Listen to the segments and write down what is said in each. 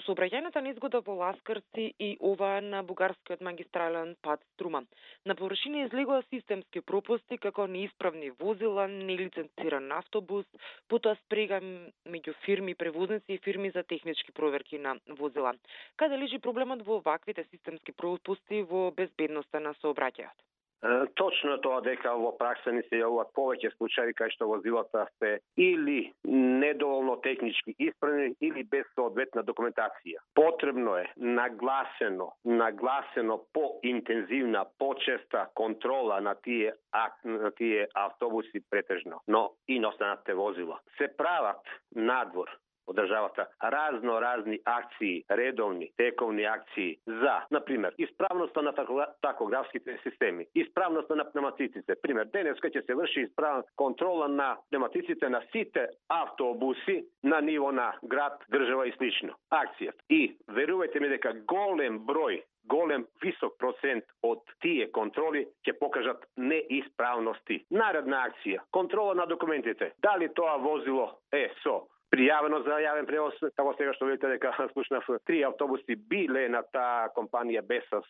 сообраќајната незгода во Ласкарци и ова на бугарскиот магистрален пат Струма. На површина излегува системски пропусти како неисправни возила, нелиценциран автобус, потоа спрега меѓу фирми превозници и фирми за технички проверки на возила. Каде лежи проблемот во ваквите системски пропусти во безбедноста на сообраќајот? Точно тоа дека во пракса ни се јавуваат повеќе случаи кај што возилата се или недоволно технички исправни или без соодветна документација. Потребно е нагласено поинтензивна, почеста контрола на тие автобуси претежно, но и на останатите возила. Се прават надвор од државата разни акции, редовни, тековни акции за, например, исправноста на такографските системи, исправноста на пневматиците. Пример, денеска ќе се врши исправна контрола на пневматиците на сите автобуси на ниво на град, држава и слично. Акцијата. И верувајте ми дека голем висок процент од тие контроли ќе покажат неисправности. Наредна акција, контрола на документите. Дали тоа возило е со пријавено за јавен превоз, како сега што видите дека слушнав 3 автобуси биле на таа компанија без со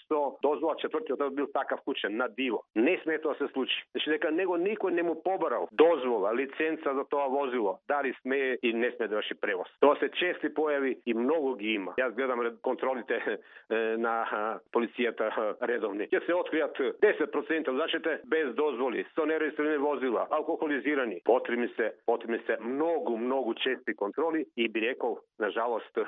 дозвола, четвртиот бил такав вклучен на диво. Не сме тоа се случи. Значи дека него никој не му побарал дозвола, лиценца за тоа возило, дали сме и не сме да врши превоз. Тоа се чести појави и многу ги има. Јас гледам контролите на полицијата редовни. Ќе се откријат 10% возачите без дозволи, со нерегистрирани возила, алкохолизирани. Потребни се многу чести контроли и би рекол, на жалост,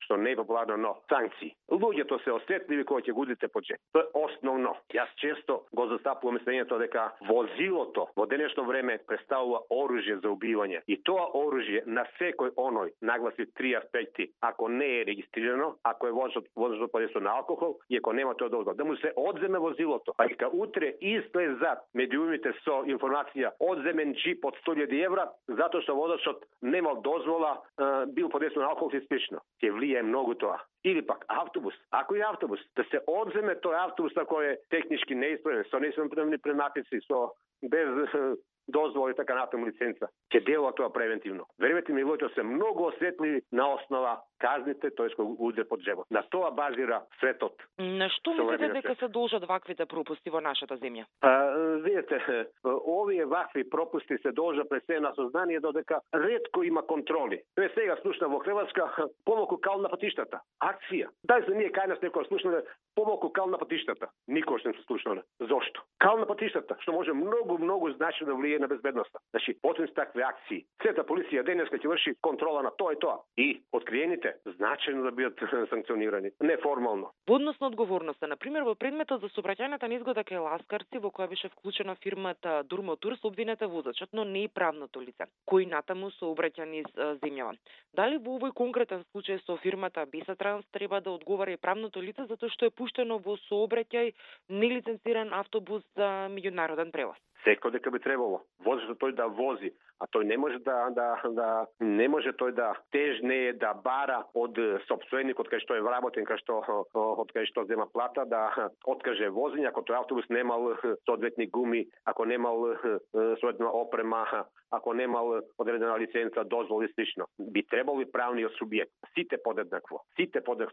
што не е популарно, но санкции. Луѓето се осетливи кога ќе гудите по джеб. Тоа е основно. Јас често го застапувам мислењето дека возилото во денешно време представува оружје за убивање. И тоа оружје на секој оној нагласи 3 аспекти. Ако не е регистрирано, ако е возено под действието на алкохол и ако нема тоа дозвола, да му се одземе возилото. А дека утре излезат медиумите со информација одземен джип од 100.000 евра затоа што возачот немал дозвола, бил под действието на алкохол и слично. Ќе влијае многу тоа. Или пак автобус. Ако е автобус, да се одземе тој автобус ако е технички неисправен, со неисправни пневматици, со без дозвола и така натаму лиценца. Ќе делува тоа превентивно. Верувате ми, луѓето се многу осетливи на основа казните, тој што уде под джебот. На тоа базира светот. На што мислите дека се должат ваквите пропусти во нашата земја? Видите, овие вакви пропусти се должат пред се на сознание додека ретко има контроли. Пред сега слушна во Хрватска помалку кал на патиштата. Акција. Дај за ние кај нас некој слушнале помалку кал на патиштата. Никош не се слушнале. Зошто? Кал на патиштата, што може многу значено да влијае на безбедноста. Значи, потим с такви акции. Сета полиција денеска ќе врши контрола на тоа и тоа. И откриените значајно да бидат санкционирани, неформално. Во однос на одговорноста, например, во предметот за сообраќајната незгода кај Ласкарци, во која беше вклучена фирмата Дурмотур, се обвинета возачот, но не и правното лице, кој натаму сообраќа низ земјава. Дали во овој конкретен случај со фирмата Бесатранс треба да одговара и правното лице затоа што е пуштено во сообраќај нелиценциран автобус за меѓународен превоз? Секој дека би требало возачот тој да вози, а тој не може не може тој да тежне да бара од сопственикот кај што е вработен, од кај што зема плата да откаже возење ако тој автобус немал соодветни гуми, ако немал соодветна опрема, ако немал одредена лиценца, дозвола и слично. Би требало и правниот субјект, сите подеднакво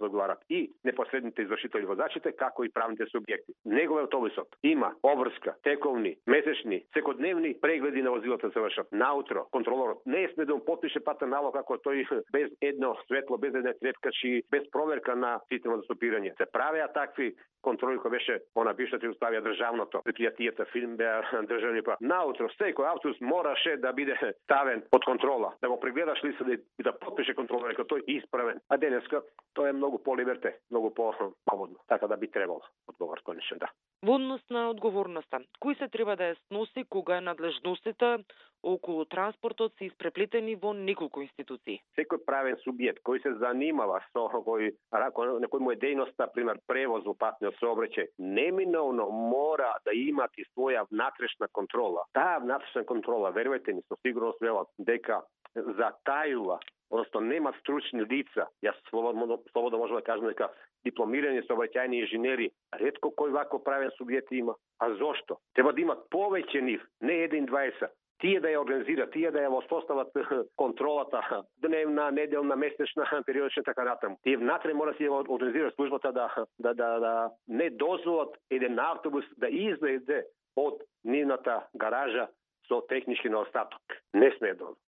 одговарат, и непосредните извршители возачите, како и правните субјекти. Неговиот автобусот има обврска, тековни, месечни, секојдневни прегледи на возилата се вршат. Наутро контролорот не сме да му потпише патен налог ако тој без едно светло, без една трепкачи, без проверка на системот за стопирање. Се правеа такви контроли кој беше она бившата Југославија државното, предпријатијата фирм беа државни па. Наутро секој автобус мораше да биде ставен под контрола, да го прегледаш листа и да потпише контролор дека тој е исправен. А денеска тоа е многу по-либерте, многу по-слободно. Така да би требало одговор конечно, да. Во однос на одговорноста, кој се треба да ја сноси кога надлежностите околу транспортот се испреплетени во неколку институции? Секој правен субјект кој се занимава со некој му е дејноста, пример превоз во патниот сообраќај, неминовно мора да имати своја внатрешна контрола. Таа внатрешна контрола, верувајте ми, со сигурност велат дека затајува, одnosno нема стручни лица. Јас слободно можам да кажам дека дипломирани сообраќајни инженери ретко кој вако правен субјект има. А зошто? Треба да имат повеќе нив, не 1-20, тие да ја организираат, тие да ја воспостават контролата дневна, неделна, месечна, периодична така натаму. Тие внатре мора да ја организираат службата да не дозволат еден автобус да излезе од нивната гаража со технички неостаток. Не смее да